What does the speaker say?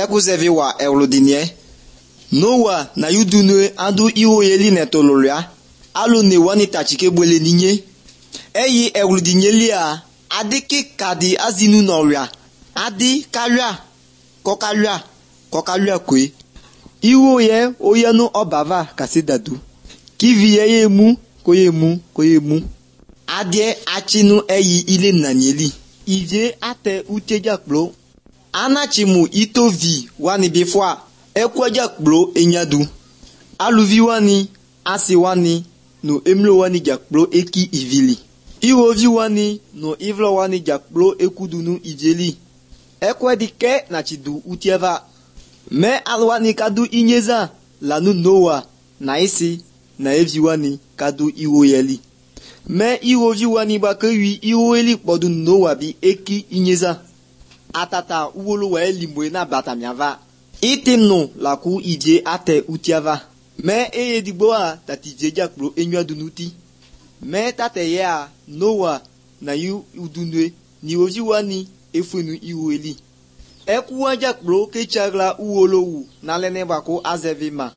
ekuzevi wa ewludinie Noah na yudunue adu iwoyeli netololia alu ne wani tachike bwele ninye eyi ewludinyeli a adiki kadi azinu nolia adi kalua kokalua kwe iwoye oyanu obava kasidadu kiviye yemu koyemu adie achinu eyi ile nanyeli ivye ate uteja kplo anachimu itovi wani bifwa ekweja kplo enyadu aluvi wani asi wani no emlo wani jakplo eki ivili iwovi wani no ivlo wani jakplo ekudunu ijeli ekwedike na chidu utieva me alwani kadu inyeza lanu Noah na isi na evi wani kadu iwoyeli me iwovi wani bakewi iwoyeli kpodu Noah bi eki inyeza atata uwolo wa elimwe na batamiava itimnu laku ije ate utiava me eyedigbo a tatije jakplo enywadunuti me tate ye a Noah na yu udunwe ni ovi wani efunu iwoyeli ekuwa jakplo kechagla uwolowu na lene bako azevima